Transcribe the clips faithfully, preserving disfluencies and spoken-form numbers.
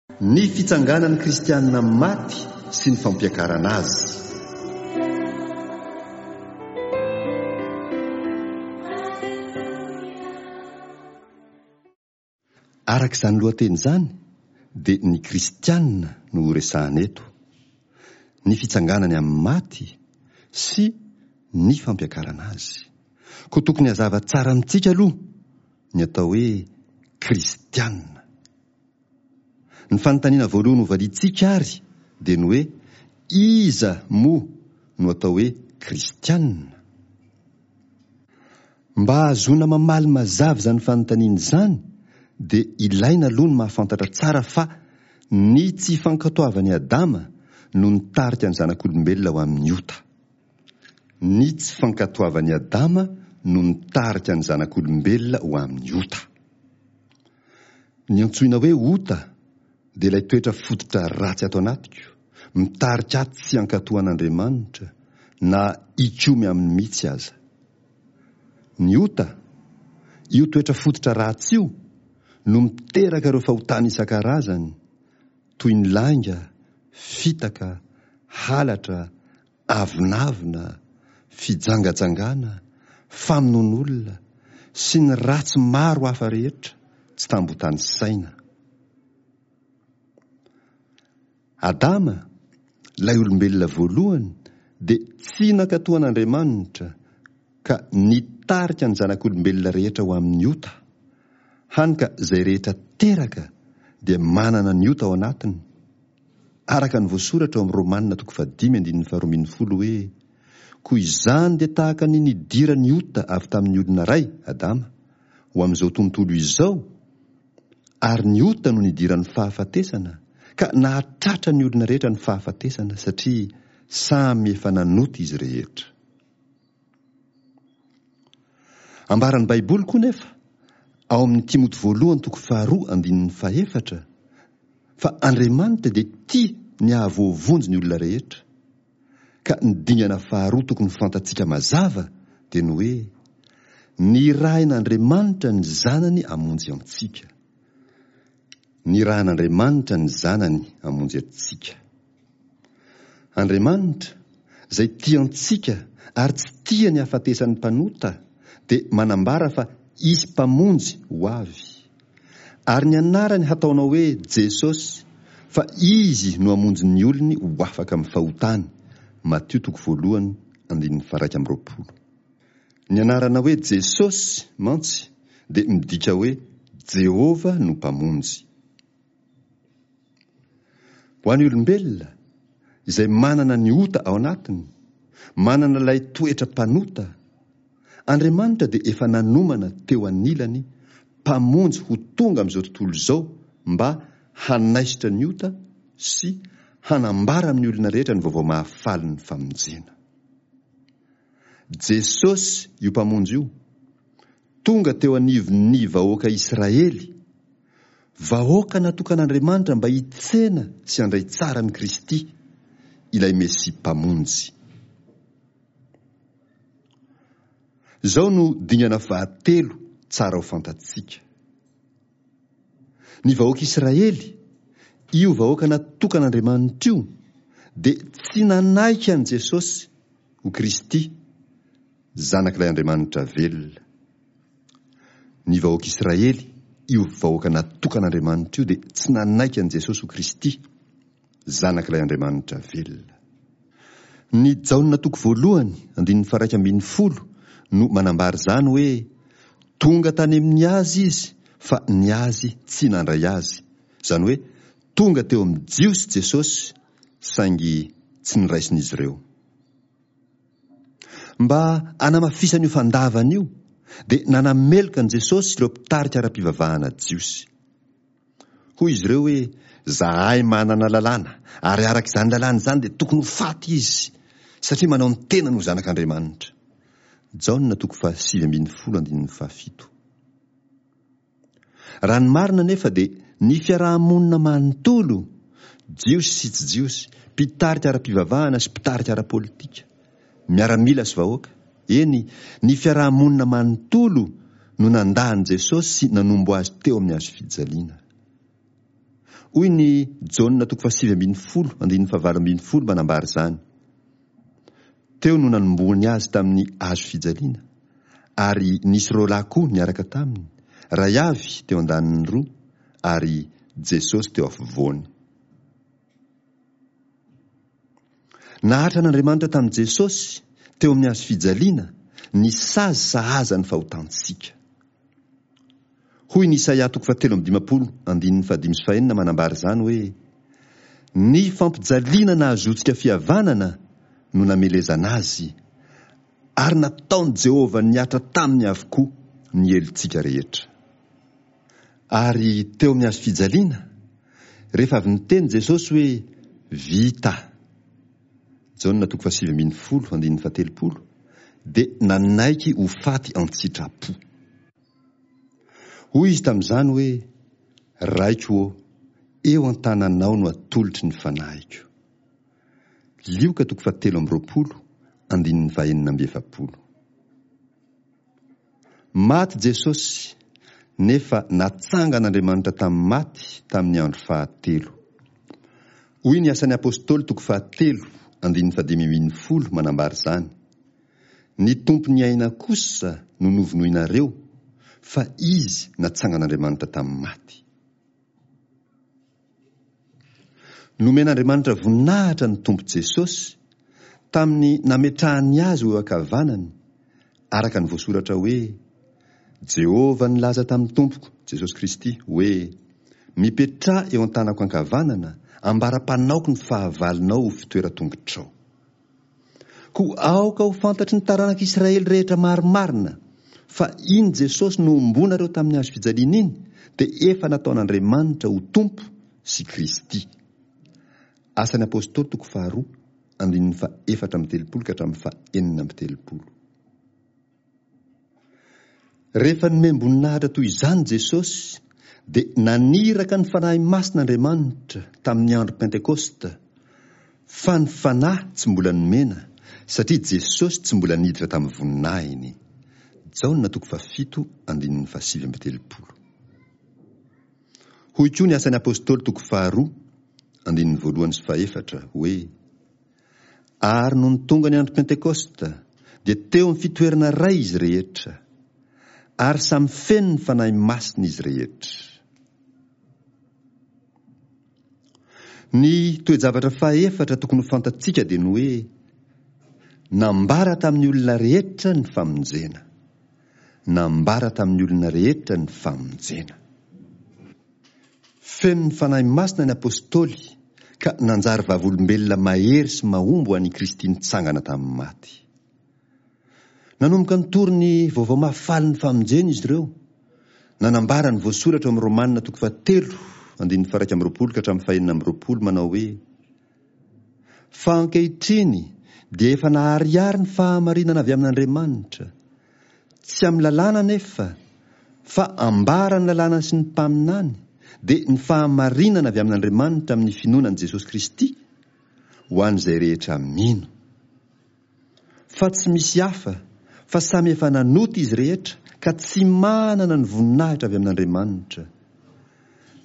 Ny fitsanganan'ny kristiana maty sy ny fampiakarana azy. Araka izany lohateny izany dia ny kristiana no horesahana eto, ny fitsanganany amin'ny maty sy ny fampiakarana azy. Koa tokony hazava tsara amintsika aloha ny atao hoe kristiana. Ny fanontaniana voalohany hovaliantsika àry dia ny hoe, Iza moa no atao hoe Kristianina? Mba hahazoana mamaly mazava izany fanontaniana izany dia ilaina aloha ny mahafantatra tsara fa ny tsy fankatoavan'i Adama no nitarika ny zanak'olombelona ho amin'ny ota. Ny tsy fankatoavan'i Adama no nitarika ny zanak'olombelona ho amin'ny ota. Ny antsoina hoe ota dia ilay toetra fototra ratsy ato anatiko, mitarika ahy tsy hankatò an'Andriamanitra, na hikomy aminy mihitsy aza. Ny ota, io toetra fototra ratsy io, no miteraka ireo fahotana isan-karazany, toy ny lainga, fitaka, halatra, avonavona, fijangajangana, famonoan'olona, sy ny ratsy maro hafa rehetra tsy tambotanisaina. Adama, ilay olombelona voalohany, dia tsy nankatò an'Andriamanitra ka nitarika ny zanak'olombelona rehetra ho amin'ny ota, hany ka izay rehetra teraka dia manana ny ota ao anatiny, Araka ny voasoratra ao amin'ny Romana toko fahadimy andininy faharoa ambin'ny folo hoe, Koa izany dia tahaka ny nidiran'ny ota avy tamin'ny olona iray, Adama, ho amin'izao tontolo izao, ary ny ota no nidiran'ny fahafatesana, ka nahatratra ny olona rehetra ny fahafatesana, satria samy efa nanota izy rehetra. Ambaran'ny Baiboly koa nefa, ao amin'ny Timoty voalohany toko faharoa andininy fahefatra, fa Andriamanitra dia tia ny hahavoavonjy ny olona rehetra, ka ny dingana faharoa tokony ho fantatsika mazava dia ny hoe, nirahin'Andriamanitra ny Zanany hamonjy antsika. Nirahin'Andriamanitra ny Zanany hamonjy antsika. Andriamanitra, izay tia antsika ary tsy tia ny hahafatesan'ny mpanota, dia manambara fa hisy Mpamonjy ho avy. Ary ny anarany hataonao hoe Jesosy, fa Izy no hamonjy ny olony ho afaka amin'ny fahotany, Matio toko voalohany andininy faha-iraika amby roapolo. Ny anarana hoe Jesosy mantsy dia midika hoe Jehovah no Mpamonjy. Ho an'ny olombelona, izay manana ny ota ao anatiny, manana ilay toetra mpanota, Andriamanitra dia efa nanomana teo anilany Mpamonjy ho tonga amin'izao tontolo izao mba hanaisotra ny ota sy hanambara amin'ny olona rehetra ny vaovao mahafalin'ny famonjena. Jesosy io Mpamonjy io, tonga teo anivon'ny vahoaka Israely, vahoaka natokan'Andriamanitra mba hitsena sy handray tsara an'i Kristy, ilay Mesia Mpamonjy. Izao no dingana fahatelo tsara ho fantatsika. Ny vahoaka Israely, io vahoaka natokan'Andriamanitra io, dia tsy nanaiky an'i Jesosy ho Kristy, Zanak'ilay Andriamanitra velona. Ny vahoaka Israely, io vahoaka natokan'Andriamanitra io, dia tsy nanaiky an'i Jesosy ho Kristy, Zanak'ilay Andriamanitra velona. Ny Jaona toko voalohany, andininy faharaika ambin'ny folo no manambara izany hoe, Tonga tany amin'ny azy izy, fa ny azy tsy nandray azy. Izany hoe, tonga teo amin'ny Jiosy Jesosy, saingy tsy niraisin'izy ireo. Mba hanamafisana io fandavana io, dia nanameloka an'i Jesosy ireo mpitarika ara-pivavahana jiosy. Hoy izy ireo hoe, Zahay manana lalàna, ary araka izany lalàna izany dia tokony ho faty izy, satria manao ny tenany ho Zanak'Andriamanitra. Jaona toko fahasivy ambin'ny folo andininy fahafito. Raha ny marina anefa dia ny fiaraha-monina manontolo, Jiosy sy tsy Jiosy, mpitarika ara-pivavahana sy mpitarika ara-politika, miaramila sy vahoaka, eny, ny fiaraha-monina manontolo no nandà an'i Jesosy sy nanombo azy teo amin'ny hazo fijaliana. Hoy ny Jaona toko fahasivy ambin'ny folo andininy fahavalo ambin'ny folo manambara izany. Teo no nanombohany azy tamin'ny hazo fijaliana, ary nisy roa lahy koa niaraka taminy, iray avy teo an-daniny roa, ary Jesosy teo afovoany. Nahatra an'Andriamanitra tamin'i Jesosy teo amin'ny hazo fijaliana ny sazy sahaza ny fahotantsika. Hoy ny Isaia toko fahatelo amby dimampolo andininy fahadimy sy fahenina manambara izany hoe, Ny fampijaliana nahazoantsika fihavanana no namelezana azy, ary nataon'i Jehovah nihatra taminy avokoa ny helotsika rehetra. Ary teo amin'ny hazo fijaliana, rehefa avy niteny Jesosy hoe, Vita, Jaona toko fahasivy ambin'ny folo andininy fahatelopolo, dia nanaiky ho faty an-tsitrapo. Hoy izy tamin'izany hoe, Raiko ô, eo an-tananao no atolotry ny fanahiko. Lioka toko fahatelo amby roapolo andininy fahenina amby efapolo. Maty Jesosy, nefa natsangan'Andriamanitra tamin'ny maty tamin'ny andro fahatelo. Hoy ny Asan'ny Apostoly toko fahatelo andininy fahadimy ambin'ny folo manambara izany, Ny Tompon'ny aina kosa no novonoinareo, fa Izy natsangan'Andriamanitra tamin'ny maty. Nomen'Andriamanitra voninahitra ny Tompo Jesosy tamin'ny nametrahany azy ho eo ankavanany, araka ny voasoratra hoe, Jehovah nilaza tamin'ny Tompoko, Jesosy Kristy, hoe, Mipetraha eo an-tanako ankavanana, ambara-panaoko ny fahavalonao ho fitoeran-tongotrao. Koa aoka ho fantatry ny taranak'Israely rehetra marimarina fa iny Jesosy nohomboanareo tamin'ny hazo fijaliana iny dia efa nataon'Andriamanitra ho Tompo sy Kristy. Asan'ny Apostoly toko faharoa andininy fahefatra amby telopolo ka hatramin'ny fahenina amby telopolo. Rehefa nomem-boninahitra toy izany Jesosy, dia naniraka ny Fanahy Masina Andriamanitra tamin'ny andro Pentekosta, fa ny Fanahy tsy mbola nomena, satria Jesosy tsy mbola niditra tamin'ny voninahiny. Jaona toko fahafito andininy fahasivy amby telopolo. Hoy koa ny Asan'ny Apostoly toko faharoa andininy voalohany sy fahefatra hoe, Ary nony tonga ny andro Pentekosta, dia teo amin'ny fitoerana iray izy rehetra, ary samy feno ny Fanahy Masina izy rehetra. Ny toe-javatra fahefatra tokony ho fantatsika dia ny hoe, nambara tamin'ny olona rehetra ny famonjena. Nambara tamin'ny olona rehetra ny famonjena. Feno ny Fanahy Masina ny Apostoly ka nanjary vavolombelona mahery sy mahomby ho an'i Kristy nitsangana tamin'ny maty. Nanomboka nitory ny vaovao mahafalin'ny famonjena izy ireo, nanambara ny voasoratra ao amin'ny Romana toko fahatelo andininy faha-iraika amby roapolo ka hatramin'ny fahenina amby roapolo manao hoe, Fa ankehitriny dia efa naharihary ny fahamarinana avy amin'Andriamanitra, Tsy amin'ny lalàna anefa, fa ambara ny lalàna sy ny mpaminany, dia ny fahamarinana avy amin'Andriamanitra amin'ny finoana an'i Jesosy Kristy, ho an'izay rehetra mino. Fa tsy misy hafa, fa samy efa nanota izy rehetra ka tsy manana ny voninahitra avy amin'Andriamanitra.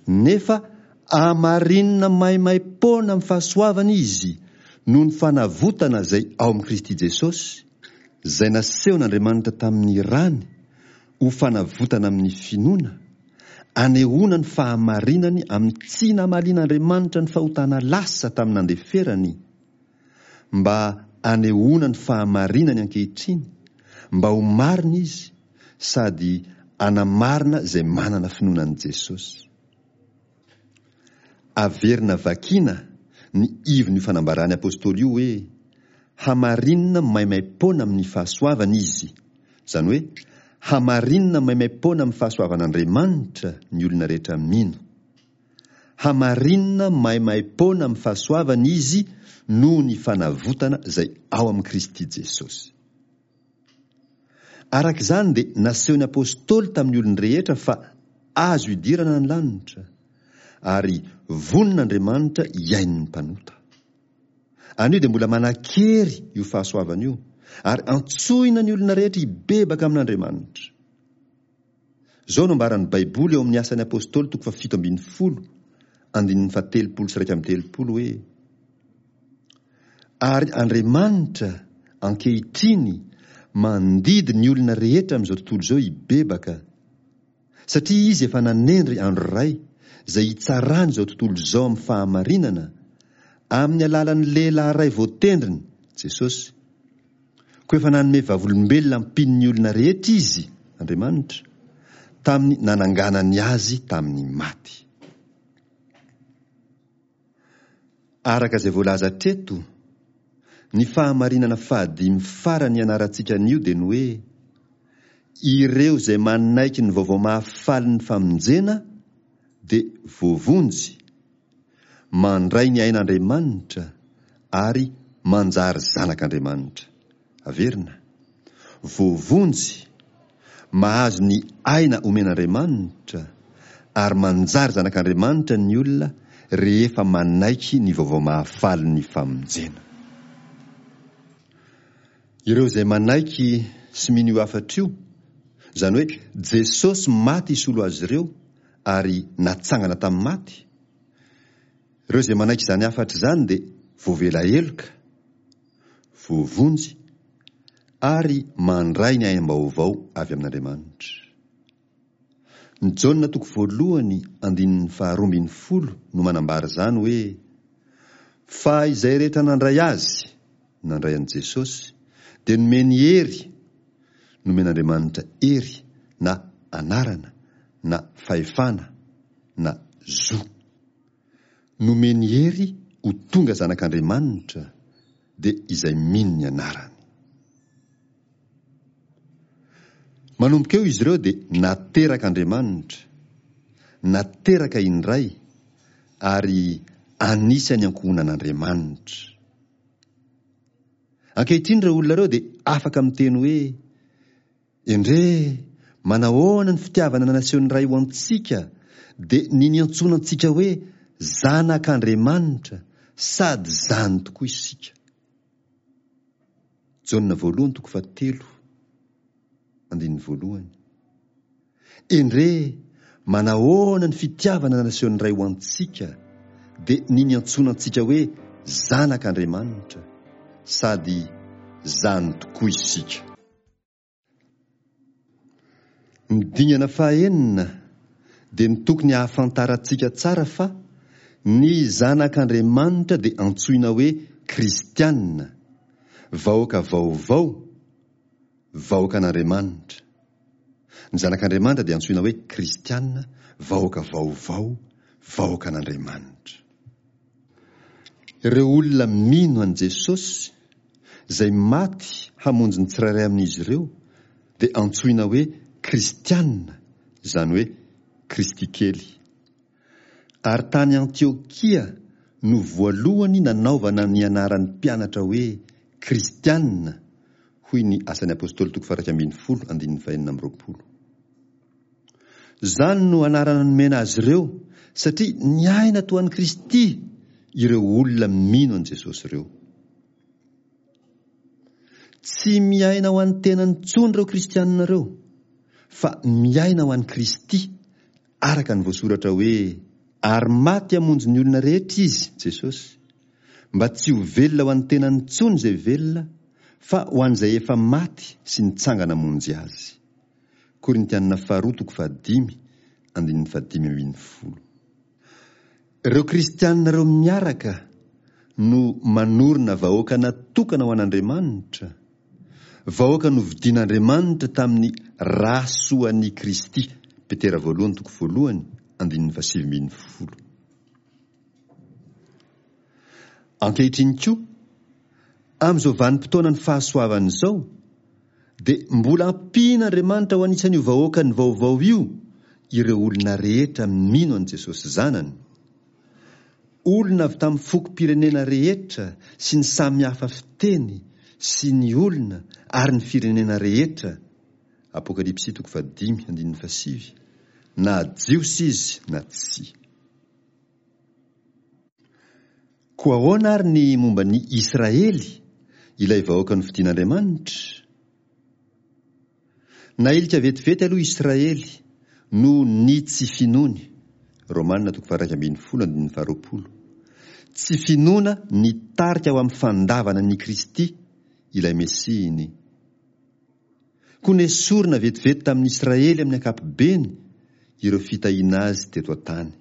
Nefa amarinina maimaim-poana amin'ny fahasoavana izy noho ny fanavotana izay ao amin'i Kristy Jesosy, izay nasehon'Andriamanitra tamin'ny rany ho fanavotana amin'ny finoana, anehoana ny fahamarinany amin'ny tsy namalian'Andriamanitra ny fahotana lasa tamin'ny nandeferany, mba anehoana ny fahamarinany ankehitriny, mba ho marina izy sady anamarina izay manana finoana an'i Jesosy. Averina vakiana ny ivon'io fanambaran'ny apostoly io hoe, Hamarinina maimaim-poana amin'ny fahasoavana izy, izany hoe, hamarinina maimaim-poana amin'ny fahasoavan'Andriamanitra ny olona rehetra mino. Hamarinina maimaim-poana amin'ny fahasoavana izy noho ny fanavotana izay ao amin'i Kristy Jesosy. Araka izany dia nasehon'ny apostoly tamin'ny olon-drehetra fa azo idirana ny lanitra, ary vonona Andriamanitra hihaino ny mpanota. Anio dia mbola manan-kery io fahasoavana io, ary antsoina ny olona rehetra hibebaka amin'Andriamanitra. Izao no ambaran'ny Baiboly ao amin'ny Asan'ny Apostoly toko fahafito ambin'ny folo, andininy fahatelopolo sy iraika amby telopolo hoe, Ary Andriamanitra ankehitriny mandidy ny olona rehetra amin'izao tontolo izao hibebaka, satria Izy efa nanendry andro iray izay hitsarany izao tontolo izao amin'ny fahamarinana, amin'ny alalan'ny lehilahy iray voatendriny, Jesosy. Koa efa nanome vavolombelona ampian'ny olona rehetra Izy, Andriamanitra, tamin'ny nananganany Azy tamin'ny maty. Araka izay voalaza hatreto, ny fahamarinana fahadimy farany ianarantsika anio dia ny hoe, ireo izay manaiky ny vaovao mahafalin'ny famonjena dia voavonjy, mandray ny ain'Andriamanitra ary manjary zanak'Andriamanitra. Averina. Voavonjy, mahazo ny aina omen'Andriamanitra ary manjary zanak'Andriamanitra ny olona rehefa manaiky ny vaovao mahafalin'ny famonjena. Ireo izay manaiky sy mino io hafatra io, izany hoe Jesosy maty hisolo azy ireo ary natsangana tamin'ny maty, ireo izay manaiky izany hafatra izany dia voavela heloka, voavonjy ary mandray ny aim-baovao avy amin'Andriamanitra. Ny Jaona toko voalohany andininy faharoa ambin'ny folo no manambara izany hoe, Fa izay rehetra nandray Azy, nandray an'i Jesosy, dia nomeny hery, nomen'Andriamanitra hery na anarana na fahefana na zo. Nomeny hery ho tonga zanak'Andriamanitra dia izay mino ny anarany. Manomboka eo izy ireo dia naterak'Andriamanitra, nateraka indray ary anisan'ny ankohonan'Andriamanitra. Ankehitriny ireo olona ireo dia afaka miteny hoe, Endrey, manahoana ny fitiavana nasehon'ny Ray ho antsika, dia ny niantsoana antsika hoe zanak'Andriamanitra, sady izany tokoa isika. Jaona voalohany toko fahatelo, andininy voalohany. Endrey, manahoana ny fitiavana nasehon'ny Ray ho antsika, dia ny niantsoana antsika hoe zanak'Andriamanitra, sady izany tokoa isika. Ny dingana fahaenina dia ny tokony hahafantarantsika tsara fa ny zanak'Andriamanitra dia antsoina hoe kristiana, vahoaka vaovao, vahoakan'Andriamanitra. Ny zanak'Andriamanitra dia antsoina hoe kristiana, vahoaka vaovao, vahoakan'Andriamanitra. Ireo olona mino an'i Jesosy, izay maty hamonjy ny tsirairay amin'izy ireo, dia antsoina hoe kristiana, izany hoe Kristy kely. Ary tany Antiokia no voalohany nanaovana ny anaran'ny mpianatra hoe kristiana, hoy ny Asan'ny Apostoly toko faha-iraika ambin'ny folo andininy fahenina amby roapolo. Izany no anarana nomena azy ireo satria niaina toa an'i Kristy ireo olona mino an'i Jesosy ireo. Tsy miaina ho an'ny tenany intsony ireo kristianina ireo, fa miaina ho an'i Kristy, araka ny voasoratra hoe, Ary maty hamonjy ny olona rehetra Izy, Jesosy, mba tsy ho velona ho an'ny tenany intsony izay velona, fa ho an'izay efa maty sy nitsangana hamonjy azy. Korintianina faharoa toko fahadimy andininy fahadimy ambin'ny folo. Ireo kristianina ireo miaraka no manorina vahoaka natokana ho an'Andriamanitra, vahoaka novidian'Andriamanitra tamin'ny ra soan'i Kristy, Petera voalohany toko voalohany andininy fahasivy ambin'ny folo. Ankehitriny koa, amin'izao vanim-potoanan'ny fahasoavana izao, dia mbola ampian'Andriamanitra ho anisan'io vahoakany vaovao io ireo olona rehetra mino an'i Jesosy Zanany. Olona avy tamin'ny fokom-pirenena rehetra sy ny samy hafa fiteny sy ny olona ary ny firenena rehetra, Apokalypsy toko fahadimy andininy fahasivy, na Jiosy izy na tsia. Koa ahoana ary ny momba ny Israely, ilay vahoaka nofidin'Andriamanitra? Nailika vetivety aloha Israely noho ny tsy finoany, Romana toko faha-iraika ambin'ny folo andininy faharoapolo. Tsy finoana nitarika ho amin'ny fandavana an'i Kristy, ilay Mesiany. Koa nesorina vetivety tamin'ny Israely amin'ny ankapobeny ireo fitahiana azy teto an-tany.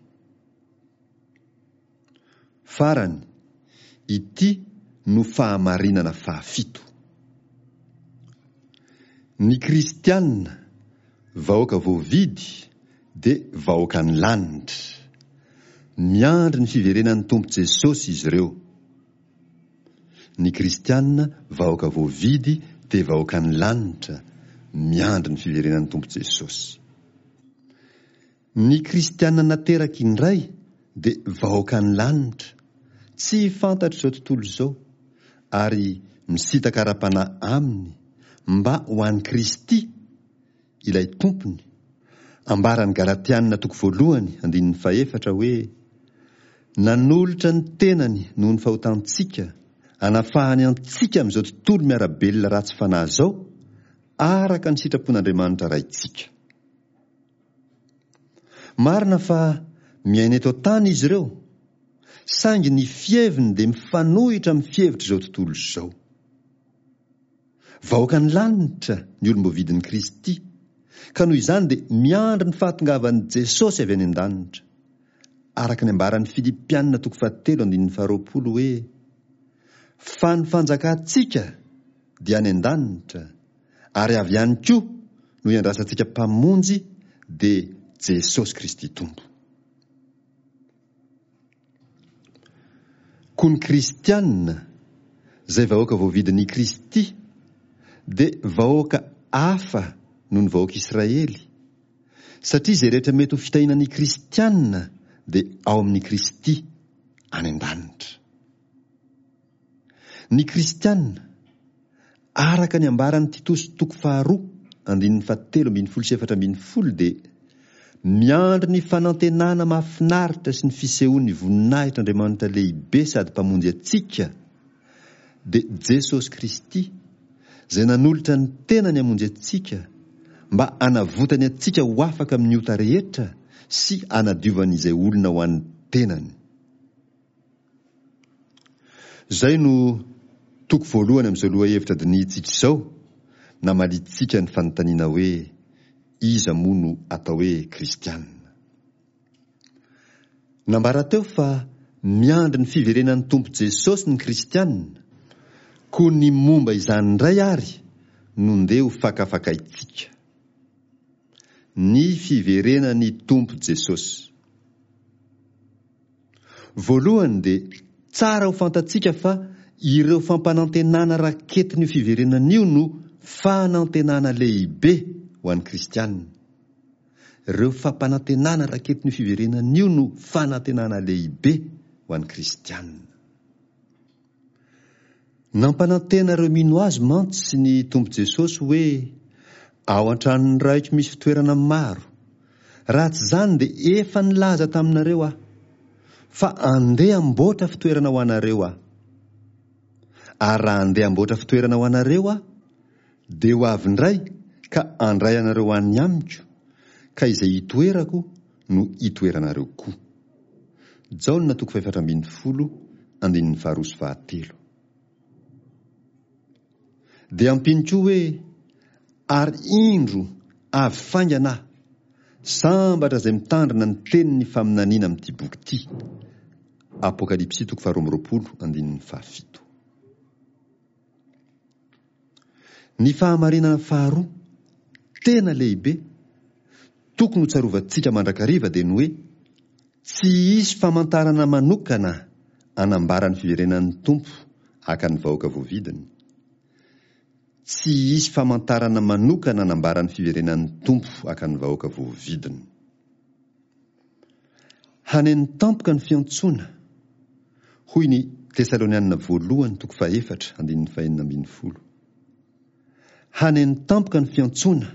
Farany, ity no fahamarinana fahafito. Ny kristiana, vahoaka voavidy, dia vahoakan'ny lanitra. Miandry ny fiverenan'ny Tompo Jesosy izy ireo. Ny kristiana, vahoaka voavidy, dia vahoakan'ny lanitra, miandry ny fiverenan'ny Tompo Jesosy. Ny kristiana nateraka indray dia vahoakan'ny lanitra, tsy fantatr'izao tontolo izao, ary misintaka ara-panahy aminy mba ho an'i Kristy, ilay Tompony. Ambaran'ny Galatiana toko voalohany andininy fahefatra hoe, Nanolotra ny tenany noho ny fahotantsika, anafahany antsika amin'izao tontolo miara-belona ratsy fanahy izao, araka ny sitrapon'Andriamanitra Raintsika. Marina fa miaina eto an-tany izy ireo, saingy ny fiheviny dia mifanohitra amin'ny fihevitr'izao tontolo izao. Vahoakan'ny lanitra ny olom-boavidin'i Kristy, ka noho izany dia miandry ny fahatongavan'i Jesosy avy any an-danitra. Araka ny ambaran'ny Filipiana toko fahatelo andininy faharoapolo hoe, Fa ny fanjakantsika dia any an-danitra, ary avy any koa no iandrasantsika Mpamonjy, dia Jesosy Kristy Tompo. Koa ny kristiana, izay vahoaka voavidin'i Kristy, dia vahoaka hafa noho ny vahoaka Israely, satria izay rehetra mety ho fitahiana ny kristiana dia ao amin'i Kristy any an-danitra. Ny kristiana, araka ny ambaran'i Titosy toko faharoa andininy fahatelo ambin'ny folo sy efatra ambin'ny folo dia miandry ny fanantenana mahafinaritra sy ny fisehoan'ny voninahitr'Andriamanitra lehibe sady Mpamonjy antsika, dia Jesosy Kristy, izay nanolotra ny tenany hamonjy antsika, mba hanavotany antsika ho afaka amin'ny ota rehetra sy hanadiovany izay olona ho an'ny tenany. Izay no toko voalohany amin'izao lohahevitra dinihintsika izao, namaliantsika ny fanontaniana hoe iza moa no atao hoe kristiana. Nambara teo fa miandry ny fiverenan'ny Tompo Jesosy ny kristiana, koa ny momba izany indray ary no ndeha ho fakafakaintsika. Ny fiverenan'ny Tompo Jesosy. Voalohany dia tsara ho fantatsika fa ireo fampanantenana raketin'io fiverenana io no fanantenana lehibe ho an'ny kristiana. Ireo fampanantenana raketin'io fiverenana io no fanantenana lehibe ho an'ny kristiana. Nampanantena ireo mino azy mantsy ny Tompo Jesosy hoe, Ao an-tranon'ny Raiko misy fitoerana maro. Raha tsy izany dia efa nilaza taminareo Aho, fa andeha hamboatra fitoerana ho anareo Aho. Ary raha andeha hamboatra fitoerana ho anareo Aho, dia ho avy indray ka handray anareo ho any amiko, ka izay itoerako no hitoeranareo koa. Jaona toko fahefatra ambin'ny folo andininy faharoa sy fahatelo. Dia ampiany koa hoe, Ary indro avy faingana aho, sambatra izay mitandrina ny tenin'ny faminaniana amin'ity boky ity. Apokalypsy toko faharoa amby roapolo andininy fahafito. Ny fahamarinana faharoa tena lehibe tokony ho tsarovantsika mandrakariva dia ny hoe tsy hisy famantarana manokana anambara ny fiverenan'ny Tompo haka ny vahoaka voavidiny. Tsy hisy famantarana manokana anambara ny fiverenan'ny Tompo haka ny vahoaka voavidiny. Haneno tampoka ny fiantsoana, hoy ny Tesalonianina voalohany toko fahefatra andininy fahenina ambin'ny folo. Haneno tampoka ny fiantsoana,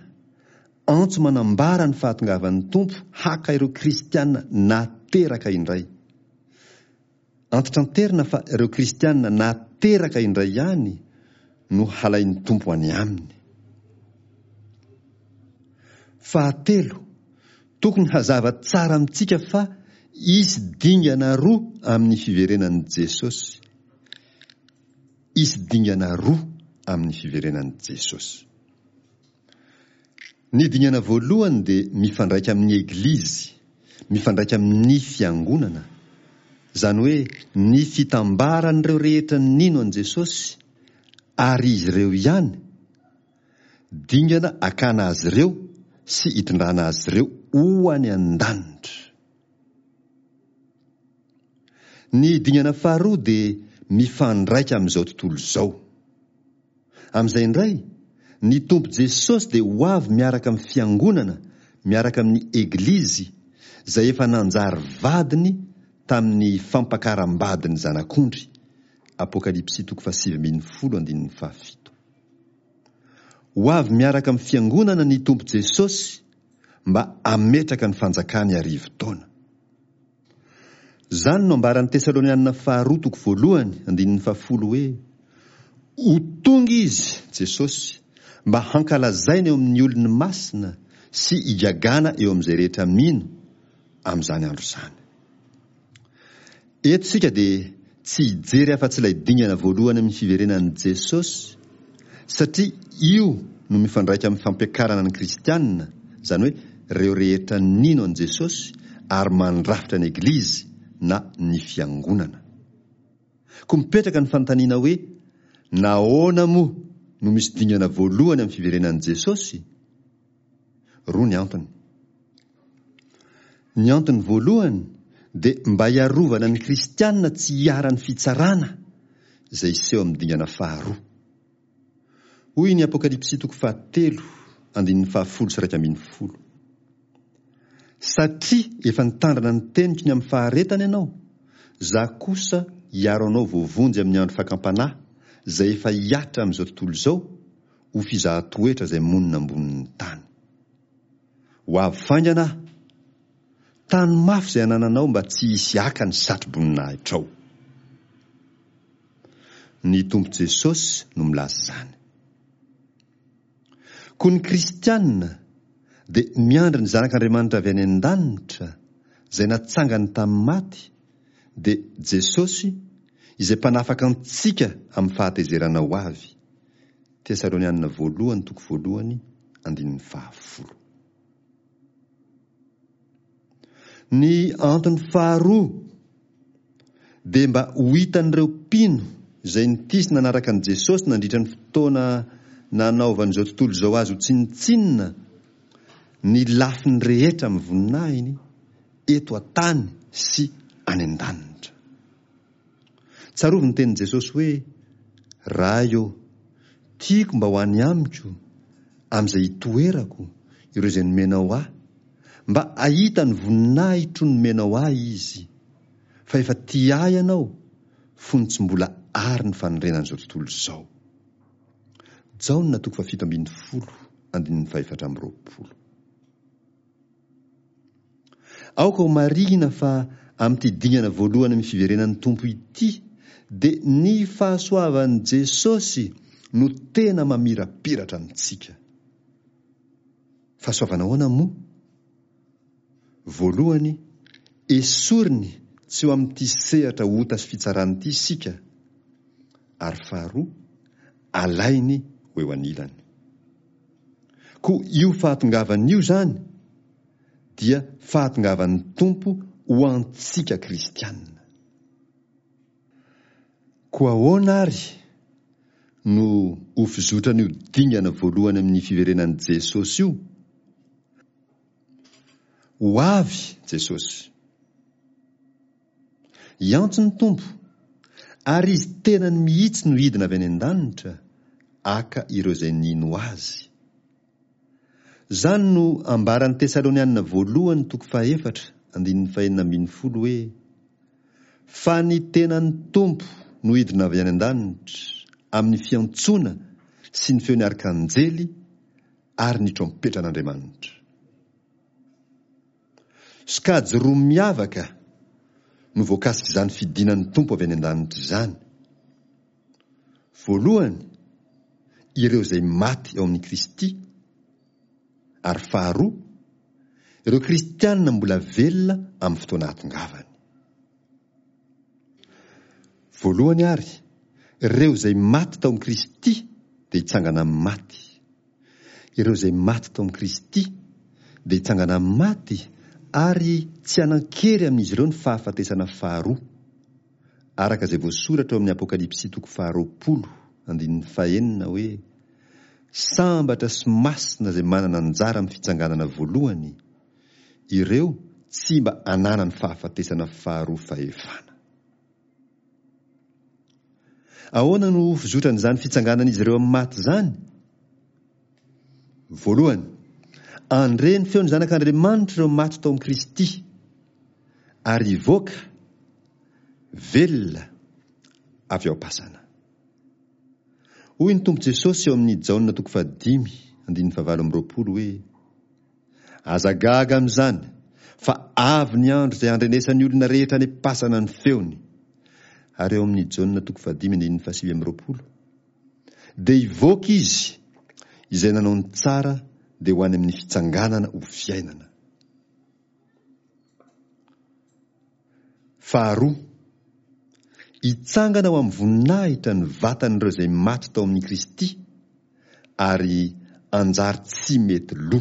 antso manambara ny fahatongavan'ny Tompo haka ireo kristiana nateraka indray. Antitranterina fa ireo kristiana nateraka indray ihany no halain'ny Tompo any aminy. Fahatelo, tokony hazava tsara amintsika fa Hisy dingana roa amin'ny fiverenan'i Jesosy. Hisy dingana roa amin'ny fiverenan'i Jesosy. Ny dingana voalohany dia mifandraika amin'ny Eglizy, mifandraika amin'ny fiangonana, izany hoe ny fitambaran'ireo rehetra nino an'i Jesosy ary izy ireo ihany, dingana akana azy ireo sy hitondrana azy ireo ho any an-danitra. Ny dingana faharoa dia mifandraika amin'izao tontolo izao. Amin'izay indray, ny Tompo Jesosy dia ho avy miaraka amin'ny fiangonana, miaraka amin'ny Eglizy, izay efa nanjary vadiny tamin'ny fampakaram-badin'ny Zanak'ondry, Apokalypsy toko fahasivy ambin'ny folo andininy fahafito. Ho avy miaraka amin'ny fiangonana ny Tompo Jesosy mba hametraka ny fanjakany arivo taona. Izany no ambaran'ny Tesalonianina faharoa toko voalohany andininy fahafolo hoe, Ho tonga Izy, Jesosy, mba hankalazaina eo amin'ny olony masina sy higagana eo amin'izay rehetra mino amin'izany andro izany. Eto isika dia tsy hijery afa-tsy ilay dingana voalohany amin'ny fiverenan'i Jesosy, satria io no mifandraika amin'ny fampiakarana ny kristiana, izany hoe ireo rehetra nino an'i Jesosy ary mandrafitra ny Eglizy na ny Fiangonana. Koa mipetraka ny fanontaniana hoe, nahoana moa no misy dingana voalohany amin'ny fiverenan'i Jesosy? Roa ny antony. Ny antony voalohany dia mba hiarovana ny kristiana tsy hiharan'ny fitsarana izay hiseho amin'ny dingana faharoa. Hoy ny Apokalypsy toko fahatelo andininy fahafolo sy iraika ambin'ny folo. Satria efa nitandrina ny teniko ny amin'ny faharetana ianao, Izaho kosa hiaro anao voavonjy amin'ny andro fakam-panahy izay efa hihatra amin'izao tontolo izao ho fizahan-toetra izay monina ambonin'ny tany. Ho avy faingana aho. Tano mafy izay anananao mba tsy hisy haka ny satro-boninahitrao. Ny Tompo Jesosy no milaza izany. Koa ny kristiana dia miandry ny Zanak'Andriamanitra avy any an-danitra, izay natsangany tamin'ny maty, dia Jesosy, izay mpanafaka antsika amin'ny fahatezerana ho avy. Tesalonianina voalohany toko voalohany andininy fahafolo. Ny antony faharoa dia mba ho hitan'ireo mpino izay nitia sy nanaraka an'i Jesosy nandritra ny fotoana nanaovan'izao tontolo izao azy ho tsinontsinona ny lafiny rehetra amin'ny voninahiny eto an-tany sy any an-danitra. Tsarovy ny tenin'i Jesosy hoe, Ray ô, tiako mba ho any amiko, amin'izay itoerako, ireo izay nomenao ahy, mba hahita ny voninahitro nomenao ahy izy, fa efa tia ahy ianao fony tsy mbola àry ny fanorenan'izao tontolo izao. Jaona toko fahafito ambin'ny folo, andininy fahefatra amby roapolo. Aoka ho marihina fa amin'ity dingana voalohany amin'ny fiverenan'ny Tompo ity dia ny fahasoavan'i Jesosy no tena mamirapiratra amintsika. Fahasoavana ahoana moa? Voalohany, esoriny tsy ho amin'ity sehatra ota sy fitsarana ity isika, ary faharoa, alainy ho eo anilany. Koa io fahatongavany io izany dia fahatongavan'ny Tompo ho antsika kristiana. Koa ahoana ary no ho fizotran'io dingana voalohany amin'ny fiverenan'i Jesosy io? Ho avy Jesosy. Hiantso ny Tompo, ary Izy tenany mihitsy no hidina avy any an-danitra haka ireo izay nino Azy. Izany no ambaran'ny Tesalonianina voalohany toko fahefatra andininy fahenina ambin'ny folo hoe, Fa ny tenan'ny Tompo no hidina avy any an-danitra amin'ny fiantsoana sy ny feon'ny arkanjely ary ny trompetran'Andriamanitra. Sokajy roa miavaka no voakasik'izany fidinan'ny Tompo avy any an-danitra izany. Voalohany, ireo izay maty ao amin'i Kristy, ary faharoa, Ireo kristianina mbola velona amin'ny fotoana ahatongavany. Voalohany ary, ireo izay maty tao amin'i Kristy dia hitsangana amin'ny maty. Ireo izay maty tao amin'i Kristy dia hitsangana amin'ny maty ary tsy hanan-kery amin'izy ireo ny fahafatesana faharoa. Araka izay voasoratra ao amin'ny Apokalypsy toko faharoapolo, andininy fahenina hoe, Sambatra sy masina izay manana anjara amin'ny fitsanganana voalohany, ireo tsy mba ananan'ny fahafatesana faharoa fahefana. Ahoana no ho fizotran'izany fitsanganan'izy ireo amin'ny maty izany? Voalohany, handre ny feon'ny Zanak'Andriamanitra ireo maty tao amin'i Kristy, ary hivoaka velona avy ao am-pasana. Hoy ny Tompo Jesosy ao amin'ny Jaona toko fahadimy, andininy fahavalo amby roapolo hoe, Aza gaga amin'izany, fa avy ny andro izay handrenesan'ny olona rehetra any am-pasana ny feony. Ary ao amin'ny Jaona toko fahadimy andininy fahasivy amby roapolo, dia hivoaka izy, izay nanao ny tsara dia ho any amin'ny fitsanganana ho fiainana. Faharoa, hitsangana ho amin'ny voninahitra ny vatan'ireo izay maty tao amin'i Kristy, ary anjary tsy mety lo.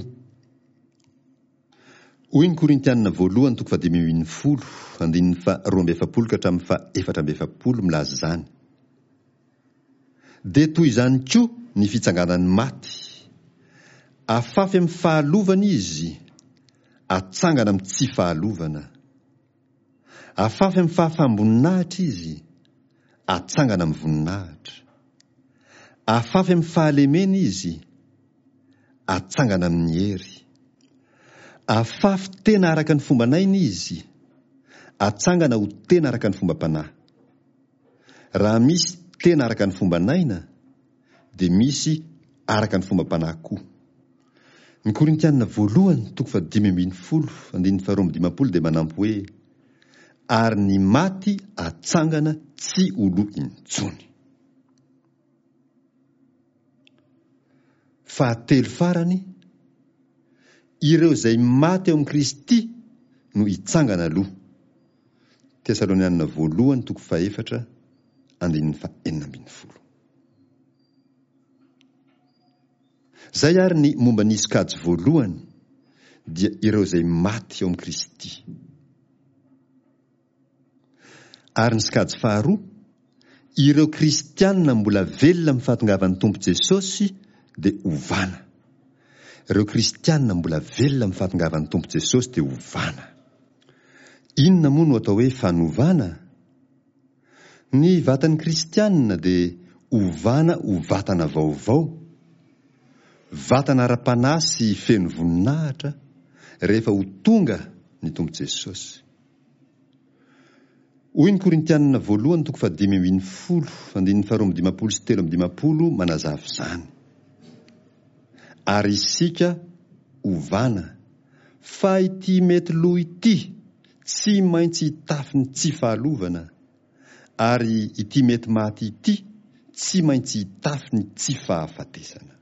Hoy ny Korintianina voalohany toko fahadimy ambin'ny folo, andininy faharoa amby efapolo ka hatramin'ny fahefatra amby efapolo milaza izany. Dia toy izany koa ny fitsanganan'ny maty. Afafy amin'ny fahalovana izy, atsangana amin'ny tsy fahalovana. Afafy amin'ny fahafaham-boninahitra izy, atsangana amin'ny voninahitra. Afafy amin'ny fahalemena izy, atsangana amin'ny hery. Afafy tena araka ny fomban'aina izy, atsangana ho tena araka ny fombam-panahy. Raha misy tena araka ny fomban'aina, dia misy araka ny fombam-panahy koa. Ny Korintiana voalohany toko fahadimy ambin'ny folo andininy faharoa amby dimampolo dia manampy hoe, Ary ny maty atsangana tsy ho lo intsony. Fahatelo farany, ireo izay maty ao amin'i Kristy no hitsangana aloha. Tesalonianina voalohany toko fahefatra andininy fahenina ambin'ny folo. Izay ary ny momba ny sokajy voalohany dia ireo izay maty ao amin'i Kristy. Ary ny sokajy faharoa, ireo kristiana mbola velona amin'ny fahatongavan'ny Tompo Jesosy dia ovana. Ireo kristiana mbola velona amin'ny fahatongavan'ny Tompo Jesosy dia ovana. Inona moa no atao hoe fanovana? Ny vatan'ny kristiana dia ovana ho vatana vaovao, vatana ara-panahy sy feno voninahitra rehefa ho tonga ny Tompo Jesosy. Hoy ny Korintianina voalohany toko fahadimy ambin'ny folo andininy faharoa amby dimampolo sy telo amby dimampolo manazava izany. Ary isika ovana, fa ity mety lo ity tsy maintsy hitafy ny tsy fahalovana, ary ity mety maty ity tsy maintsy hitafy ny tsy fahafatesana.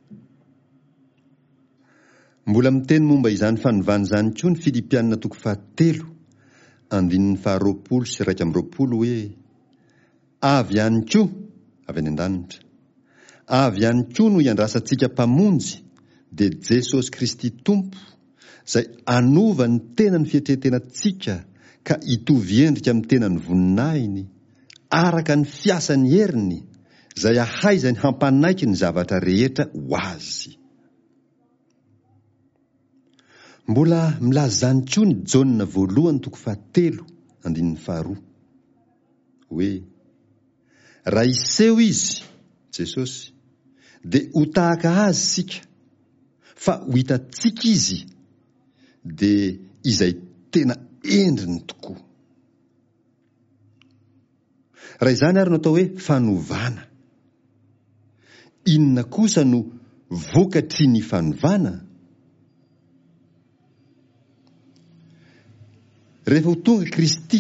Mbola miteny momba izany fanovana izany koa ny Filipiana toko fahatelo, andininy faharoapolo sy iraika amby roapolo hoe, Avy ihany koa, avy any an-danitra, avy ihany koa no iandrasantsika Mpamonjy, dia Jesosy Kristy Tompo, izay hanova ny tenan'ny fietren-tenantsika ka hitovy endrika amin'ny tenan'ny voninahiny, araka ny fiasan'ny heriny, izay ahaizany hampanaiky ny zavatra rehetra ho azy. Mbola milaza izany koa ny Jaona voalohany toko fahatelo andininy faharoa, hoe, Raha hiseho Izy, Jesosy, dia ho tahaka Azy isika, fa ho hitantsika Izy, dia izay tena endriny tokoa. Raha izany ary no atao hoe fanovana, inona kosa no vokatry ny fanovana? Rehefa ho tonga Kristy,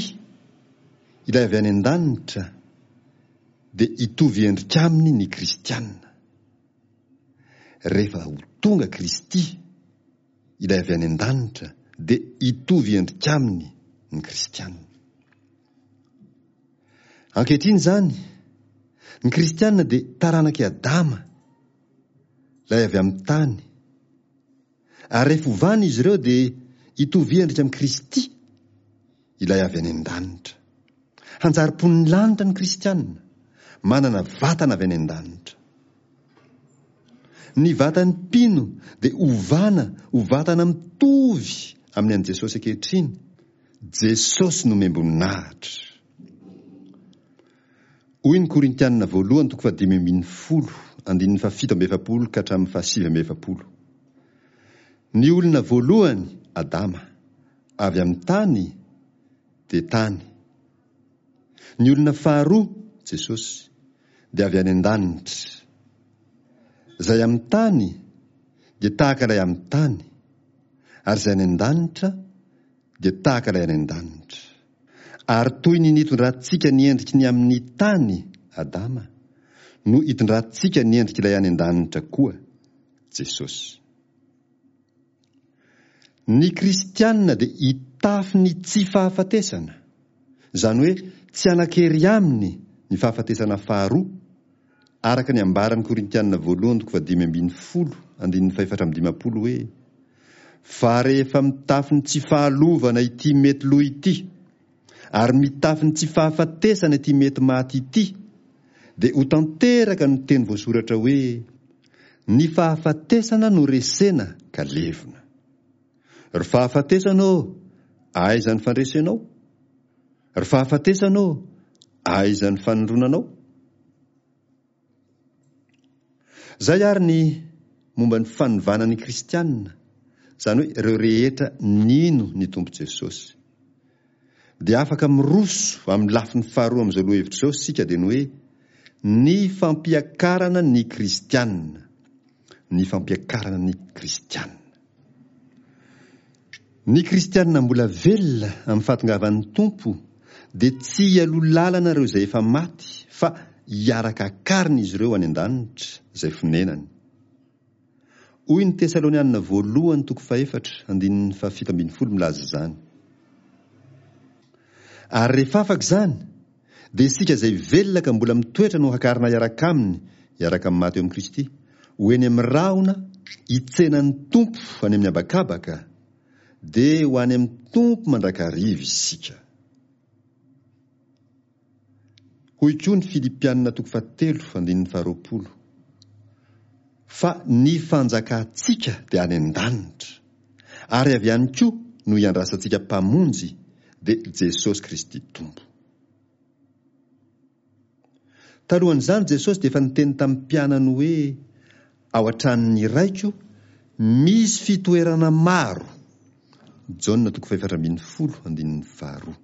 ilay avy any an-danitra, dia hitovy endrika aminy ny kristiana. Rehefa ho tonga Kristy, ilay avy any an-danitra, dia hitovy endrika aminy ny kristiana. Ankehitriny izany, ny kristiana dia taranak'i Adama, ilay avy amin'ny tany. Ary rehefa ovana izy ireo dia hitovy endrika amin'i Kristy, ilay avy any an-danitra. Hanjary mponin'ny lanitra ny kristiana, manana vatana avy any an-danitra. Ny vatan'ny mpino dia ovana ho vatana mitovy amin'ny an'i Jesosy ankehitriny. Jesosy nomem-boninahitra. Hoy ny Korintianina voalohany toko fahadimy ambin'ny folo, andininy fahafito amby efapolo ka hatramin'ny fahasivy amby efapolo. Ny olona voalohany, Adama, avy amin'ny tany dia tany. Ny olona faharoa, Jesosy, dia avy any an-danitra. Izay amin'ny tany dia tahaka ilay amin'ny tany, ary izay any an-danitra dia tahaka ilay any an-danitra. Ary toy ny nitondrantsika ny endriky ny amin'ny tany, Adama, no itondrantsika ny endrik'ilay any an-danitra koa, Jesosy. Ny kristianina dia hitafy ny tsy fahafatesana, izany hoe tsy hanan-kery aminy ny fahafatesana faharoa, araka ny ambaran'ny Korintianina voalohany toko fahadimy ambin'ny folo andininy fahefatra amby dimampolo hoe: Fa rehefa mitafy ny tsy fahalovana ity mety lo ity, ary mitafy ny tsy fahafatesana ity mety maty ity, dia ho tanteraka ny teny voasoratra hoe: Ny fahafatesana no resena ka levona. Ry fahafatesana ô, aiza ny fandresenao? Ry fahafatesana ô, aiza ny fanindronanao? Izay ary ny momba ny fanovana ny kristianina, izany hoe ireo rehetra nino ny Tompo Jesosy. Dia afaka miroso amin'ny lafiny faharoa amin'izao lohahevitra izao isika, dia ny hoe ny fampiakarana ny kristianina. Ny fampiakarana ny kristianina. Ny kristianina mbola velona amin'ny fahatongavan'ny Tompo dia tsy hialoha lalana ireo izay efa maty, fa hiaraka akarina izy ireo any an-danitra izay fonenany. Hoy ny Tesalonianina voalohany toko fahefatra andininy fahafito ambin'ny folo milaza izany. Ary rehefa afaka izany, dia isika izay velona ka mbola mitoetra no hakarina hiaraka aminy, hiaraka amin'ny maty eo amin'i Kristy, ho eny amin'ny rahona hitsenan'ny Tompo any amin'ny habakabaka, dia ho any amin'ny Tompo mandrakariva isika. Hoy koa ny Filipianina toko fahatelo andininy faharoapolo, Fa ny fanjakantsika dia any an-danitra, ary avy any koa no iandrasantsika Mpamonjy, dia Jesosy Kristy Tompo. Talohan'izany Jesosy dia efa niteny tamin'ny mpianany hoe, Ao an-tranon'ny Raiko misy fitoerana maro. Jaona toko fahefatra ambin'ny folo andininy faharoa.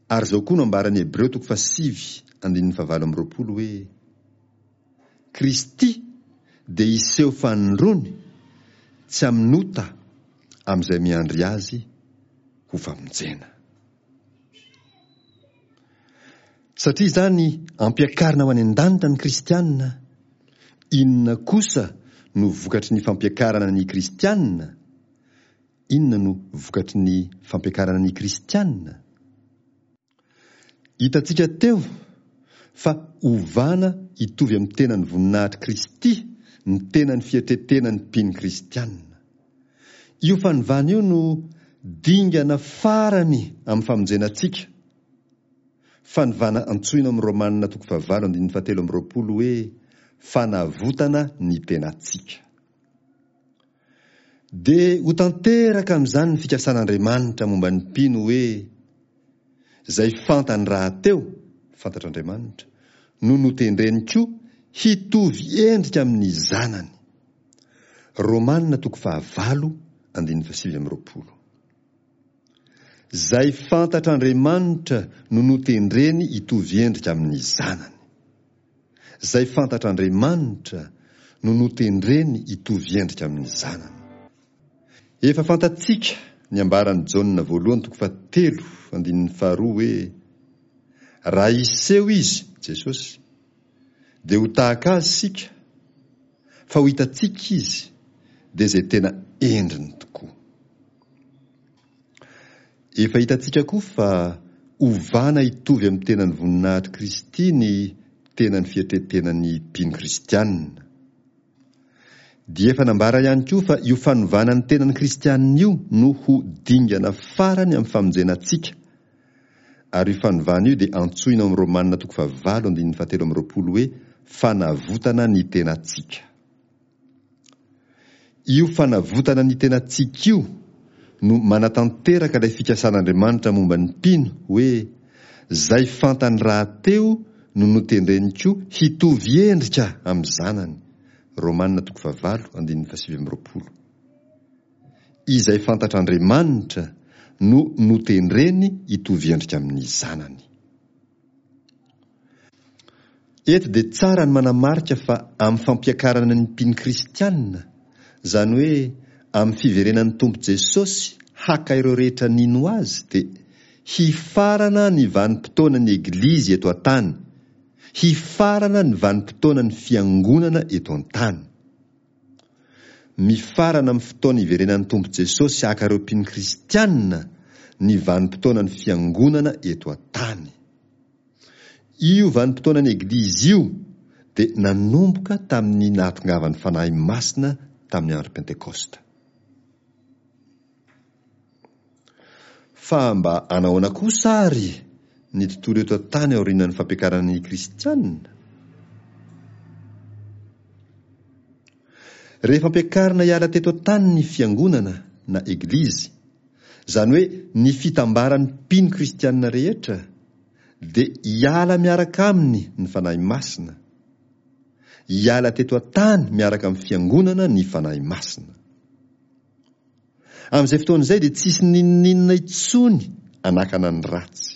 Ary izao koa no ambaran'ny Hebreo toko fahasivy andininy fahavalo amby roapolo hoe, Kristy dia hiseho fanindroany tsy amin'ota amin'izay miandry Azy ho famonjena. Satria izany ampiakarina ho any an-danitra ny kristiana, inona kosa no vokatry ny fampiakarana ny kristiana? Inona no vokatry ny fampiakarana ny kristiana? Hitantsika teo fa ovana hitovy amin'ny tenan'ny voninahitr'i Kristy ny tenan'ny fietretenan'ny mpino kristiana. Io fanovana io no dingana farany amin'ny famonjena antsika. Fanovana antsoina ao amin'ny Romana toko fahavalo andininy fahatelo amby roapolo hoe fanavotana ny tenantsika. Dia ho tanteraka amin'izany ny fikasan'Andriamanitra momba ny mpino hoe, Izay fantany rahateo, fantatr'Andriamanitra, no notendreny koa hitovy endrika amin'ny Zanany. Romana toko fahavalo andininy fahasivy amby roapolo. Izay fantatr'Andriamanitra no notendreny hitovy endrika amin'ny Zanany. Izay fantatr'Andriamanitra no notendreny hitovy endrika amin'ny Zanany. Efa fantatsika ny ambaran'i Jaona voalohany toko fahatelo andininy faharoa hoe, Raha hiseho Izy, Jesosy, dia ho tahaka Azy isika, fa ho hitantsika Izy, dia izay tena endriny tokoa. Efa hitantsika koa fa ovana hitovy amin'ny tenan'ny voninahitr'i Kristy ny tenan'ny fietretenan'ny mpino kristianina. Dia efa nambara ihany koa fa io fanovana ny tenan'ny kristianina io no ho dingana farany amin'ny famonjena antsika. Ary io fanovana io dia antsoina ao amin'ny Romanina toko fahavalo andininy fahatelo amby roapolo hoe fanavotana ny tenantsika. Io fanavotana ny tenantsika io no manatanteraka ilay fikasan'Andriamanitra momba ny mpino hoe izay fantany rahateo no notendreny koa hitovy endrika amin'ny zanany. Romanina toko fahavalo andininy fahasivy amby roapolo. Izay fantatr'Andriamanitra no notendreny hitovy endrika amin'ny zanany. Eto dia tsara ny manamarika fa amin'ny fampiakarana ny mpino kristianina, izany hoe amin'ny fiverenan'ny Tompo Jesosy haka ireo rehetra nino azy, dia hifarana ny vanim-potoanan'ny Eglizy eto an-tany, hifarana ny vanim-potoanan'ny fiangonana eto an-tany. Mifarana amin'ny fotoana iverenan'ny Tompo Jesosy haka ireo mpino kristianina ny vanim-potoanan'ny fiangonana eto an-tany. Io vanim-potoanan'ny Eglizy io dia nanomboka tamin'ny nahatongavan'ny Fanahy Masina tamin'ny andro Pentekosta. Fa mba anahoana kosa ary ny tontolo eto an-tany aorianan'ny fampiakarana ny kristianina? Rehefa ampiakarina hiala teto an-tany ny fiangonana na eglizy, izany hoe ny fitambaran'ny mpino kristianina rehetra, dia hiala miaraka aminy ny Fanahy Masina. Hiala teto an-tany miaraka amin'ny fiangonana ny Fanahy Masina. Amin'izay fotoana izay dia tsisy n'inon'inona intsony anakana ny ratsy.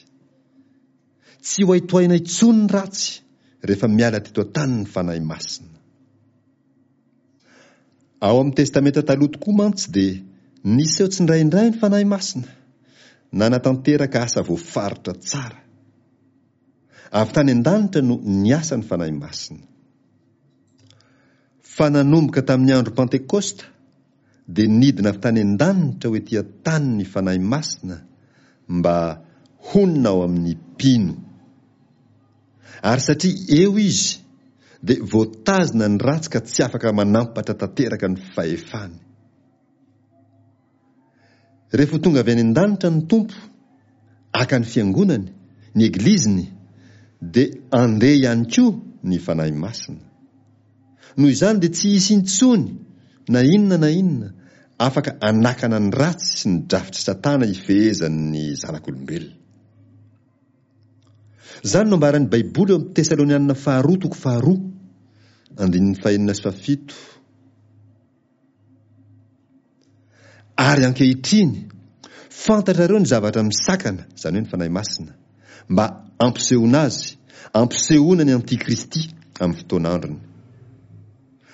Tsy ho haitohaina intsony ny ratsy rehefa miala teto an-tany ny Fanahy Masina. Ao amin'ny Testamenta Taloha tokoa mantsy dia niseho tsindraindray ny Fanahy Masina, nanatanteraka asa voafaritra tsara. Avy tany an-danitra no niasa ny Fanahy Masina. Fa nanomboka tamin'ny andro Pantekosta dia nidina avy tany an-danitra ho ety an-tany ny Fanahy Masina mba honina ao amin'ny mpino. Ary satria eo izy dia voatazona ny ratsy ka tsy afaka manampatra tanteraka ny fahefany. Rehefa tonga avy any an-danitra ny Tompo, haka ny fiangonany, ny egliziny, dia andeha ihany koa ny Fanahy Masina. Noho izany dia tsy hisy intsony na inona na inona afaka anakana ny ratsy sy ny drafitr'i Satana hifehezan'ny zanak'olombelona. Izany no ambaran'ny Baiboly eo amin'ny Tesalonianina faharoa toko faharoa, andininy fahenina sy fahafito. Ary ankehitriny, fantatrareo ny zavatra misakana, izany hoe ny Fanahy Masina, mba hampisehoana azy, hampisehoana ny Antikristy amin'ny fotoan'androny.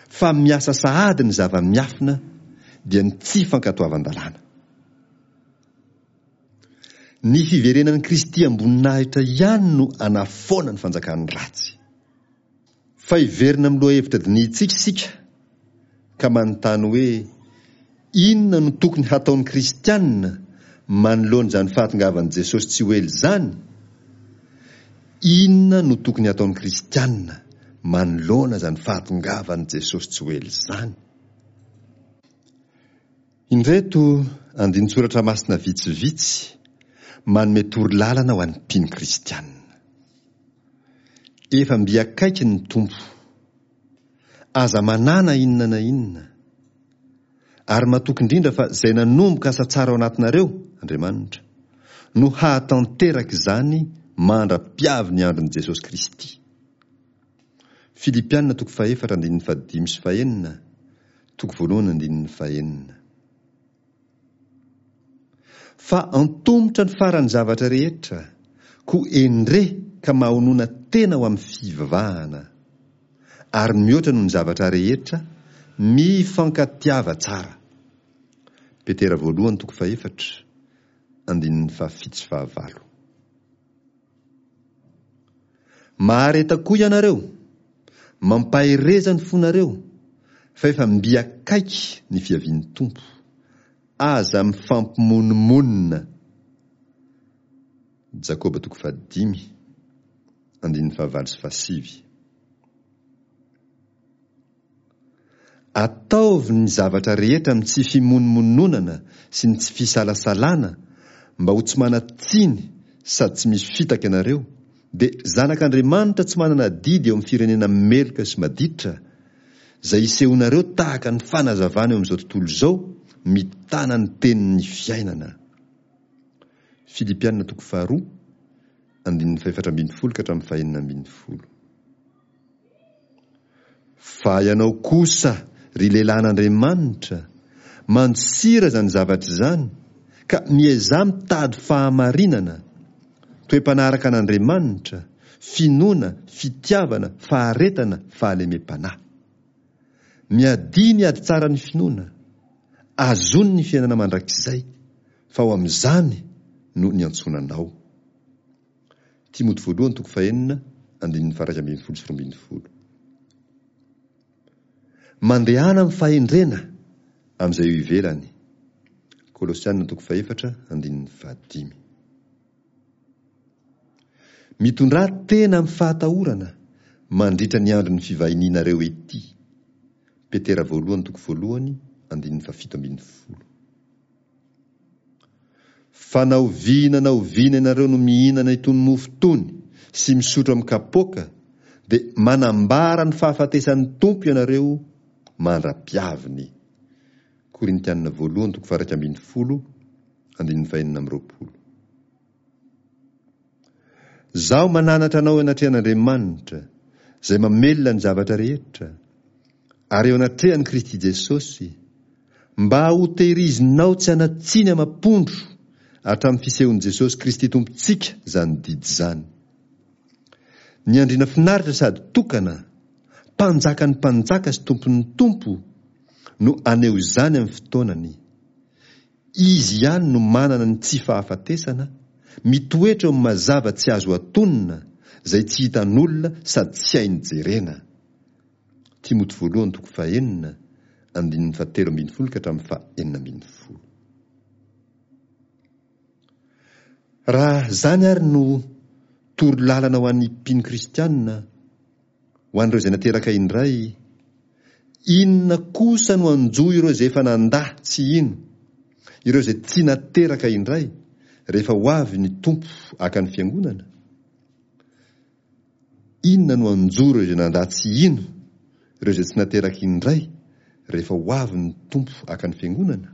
Fa miasa sahady ny zava-miafina dia ny tsy fankatoavan-dalàna. Ny fiverenan'i Kristy am-boninahitra ihany no anafoana ny fanjakan'ny ratsy. Fa hiverina amin'ny lohahevitra dinihintsika isika ka manontany hoe inona no tokony hataon'ny kristianina manoloana izany fahatongavan'i Jesosy tsy ho ela izany? Inona no tokony hataon'ny kristianina manoloana izany fahatongavan'i Jesosy tsy ho ela izany? Indreto andinin-tsoratra masina vitsivitsy manome torolalana ho an'ny mpino kristianina. Efa mby akaiky ny Tompo. Aza manana inona na inona. Ary matoky indrindra fa izay nanomboka asa tsara ao anatinareo, Andriamanitra, no hahatanteraka izany mandra-piavy ny andron'i Jesosy Kristy. Filipiana toko fahefatra andininy fahadimy sy fahenina, toko voalohany andininy fahenina. Fa antomotra ny faran'ny zavatra rehetra, koa endre ka mahonona tena ho amin'ny fivavahana. Ary mihoatra noho ny zavatra rehetra, mifankatiava tsara. Petera voalohany toko fahefatra, andininy fahafito sy fahavalo. Mahareta koa ianareo, mampahereza ny fonareo, fa efa mby akaiky ny fiavian'ny Tompo. Aza mifampimonomonona. Jakoba toko fahadimy, andininy fahavalo sy fahasivy. Ataovy ny zavatra rehetra amin'ny tsy fimonomononana sy ny tsy fisalasalana mba ho tsy manan-tsiny sady tsy misy fitaka ianareo, dia zanak'Andriamanitra tsy manana adidy eo amin'ny firenena meloka sy maditra, izay isehoanareo tahaka ny fanazavana eo amin'izao tontolo izao mitana ny tenin'ny fiainana. Filipiana toko faharoa, andininy fahefatra ambin'ny folo ka hatramin'ny fahenina ambin'ny folo. Fa ianao kosa, ry lehilahin'Andriamanitra, mandosira izany zavatra izany, ka miezaha mitady fahamarinana, toe-panaraka an'Andriamanitra, finoana, fitiavana, faharetana, fahalemem-panahy. Miadia ny ady tsara ny finoana, azony ny fiainana mandrakizay, fa ho amin'izany no niantsoana anao. Timoty voalohany toko fahenina, andininy faha-iraika ambin'ny folo sy roa ambin'ny folo. Mandehana amin'ny fahendrena amin'izay eo ivelany. Kolosiana toko fahefatra andininy fahadimy. Mitondrà tena amin'ny fahatahorana mandritra ny andron'ny fivahinianareo ety. Petera voalohany toko voalohany andininy fahafito ambin'ny folo. Fa na oviana na oviana ianareo no mihinana itony mofo itony sy misotro amin'ny kapoaka, dia manambara ny fahafatesan'ny Tompo ianareo mandra-piaviny. Korintiana voalohany toko faha-iraika ambin'ny folo andininy fahenina amby roapolo. Izaho mananatra anao eo anatrehan'Andriamanitra, izay mamelona ny zavatra rehetra, ary eo anatrehan'i Kristy Jesosy, mba hotehirizinao tsy hanan-tsiny amam-pondro hatramin'ny fisehon'i Jesosy Kristy Tompontsika izany didy izany. Ny andriana finaritra sady tokana, mpanjakan'ny mpanjaka sy tompon'ny tompo, no haneho izany amin'ny fotoanany. Izy ihany no manana ny tsy fahafatesana, mitoetra eo amin'ny mazava tsy azo atonina, izay tsy hitan'olona sady tsy hainy jerena. Timoty voalohany toko fahenina, andininy fahatelo ambin'ny folo ka hatramin'ny fahenina ambin'ny folo. Raha izany ary no toro lalana ho an'ny mpino kristianina, ho an'ireo izay nateraka indray, inona kosa no hanjo ireo izay efa nandà tsy hino, ireo izay tsy nateraka indray, rehefa ho avy ny Tompo haka ny fiangonana? Inona no hanjo ireo izay nandà tsy hino, ireo izay tsy nateraka indray, rehefa ho avy ny Tompo haka ny fiangonana?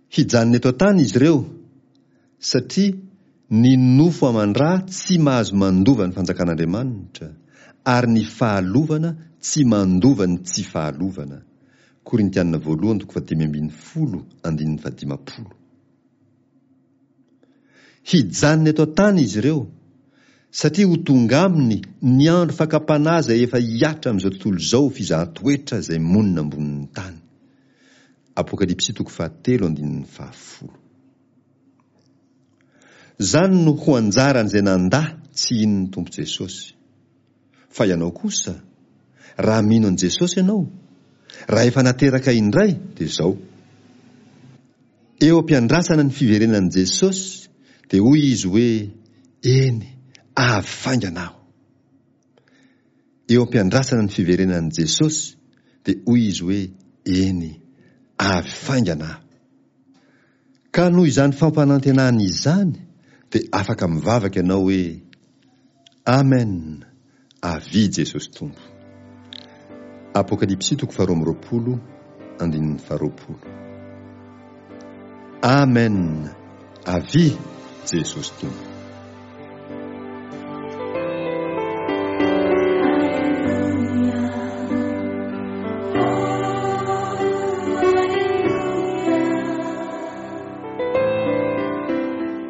Hijanona eto an-tany izy ireo, satria ny nofo aman-dra tsy mahazo mandova ny fanjakan'Andriamanitra, ary ny fahalovana tsy mandova ny tsy fahalovana. Korintiana voalohany toko fahadimy ambin'ny folo andininy fahadimampolo. Hijanona eto an-tany izy ireo, satria ho tonga aminy ny andro fakam-panahy izay efa hihatra amin'izao tontolo izao ho fizahan-toetra izay monina ambonin'ny tany. Apokalypsy toko fahatelo andininy fahafolo. Izany no ho anjaran'izay nandà tsy hino ny Tompo Jesosy. Fa ianao kosa, raha mino an'i Jesosy ianao, raha efa nateraka indray, dia izao. Eo am-piandrasana ny fiverenan'i Jesosy, dia hoy Izy hoe, Eny, avy faingana Aho. Eo am-piandrasana ny fiverenan'i Jesosy, dia hoy Izy hoe, Eny, avy faingana Aho. Ka noho izany fampanantenana izany, dia afaka mivavaka ianao hoe, Amen, avia Jesosy Tompo. Apokalypsy toko faharoa amby roapolo, andininy faharoapolo. Amen, avia Jesosy Tompo.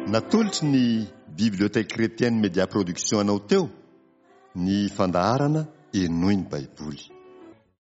Natolotry ny Bibliothèque Chrétienne Média Production anao teo ny fandaharana Henoy ny Baiboly.